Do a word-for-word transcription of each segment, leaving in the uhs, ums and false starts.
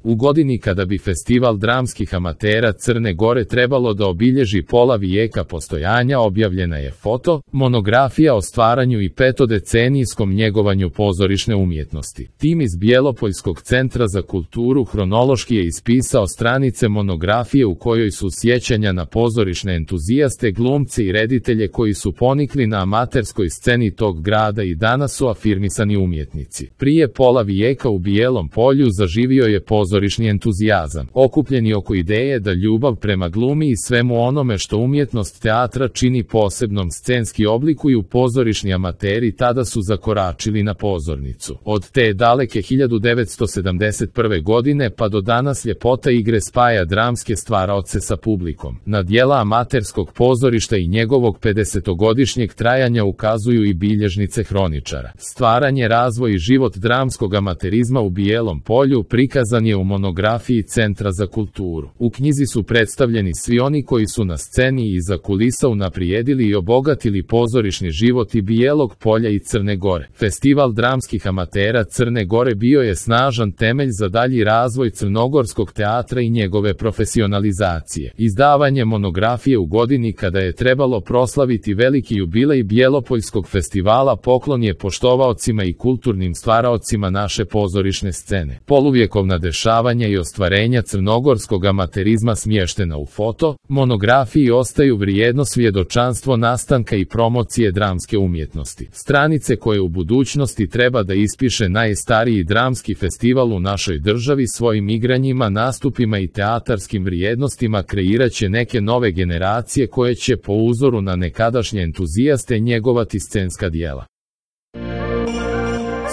U godini kada bi Festival dramskih amatera Crne Gore trebalo da obilježi pola vijeka postojanja, objavljena je foto, monografija o stvaranju i petodecenijskom njegovanju pozorišne umjetnosti. Tim iz Bjelopoljskog centra za kulturu hronološki je ispisao stranice monografije u kojoj su sjećanja na pozorišne entuzijaste, glumce i reditelje koji su ponikli na amaterskoj sceni tog grada i danas su afirmisani umjetnici. Prije pola vijeka u Bijelom Polju zaživio je pozorišni entuzijazam, okupljeni oko ideje da ljubav prema glumi i svemu onome što umjetnost teatra čini posebnom scenski oblikuju pozorišni amateri tada su zakoračili na pozornicu. Od te daleke hiljadu devetsto sedamdeset prve godine pa do danas ljepota igre spaja dramske stvaraoce sa publikom. Na djela amaterskog pozorišta i njegovog pedesetogodišnjeg trajanja ukazuju i bilježnice hroničara. Stvaranje, razvoj i život dramskog amaterizma u Bijelom Polju prikazan je u monografiji Centra za kulturu. U knjizi su predstavljeni svi oni koji su na sceni i iza kulisa unaprijedili i obogatili pozorišni život i Bijelog Polja i Crne Gore. Festival dramskih amatera Crne Gore bio je snažan temelj za dalji razvoj crnogorskog teatra i njegove profesionalizacije. Izdavanje monografije u godini kada je trebalo proslaviti veliki jubilej Bjelopoljskog festivala poklon je poštovaocima i kulturnim stvaraocima naše pozorišne scene. Poluvjekovna dešavanja i ostvarenja crnogorskog amaterizma smještena u foto, monografiji ostaju vrijedno svjedočanstvo nastanka i promocije dramske umjetnosti. Stranice koje u budućnosti treba da ispiše najstariji dramski festival u našoj državi svojim igranjima, nastupima i teatarskim vrijednostima kreirat će neke nove generacije koje će po uzoru na nekadašnje entuzijaste njegovati scenska djela.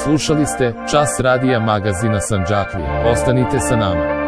Slušali ste Čas radija magazina Sandžaklije. Ostanite sa nama.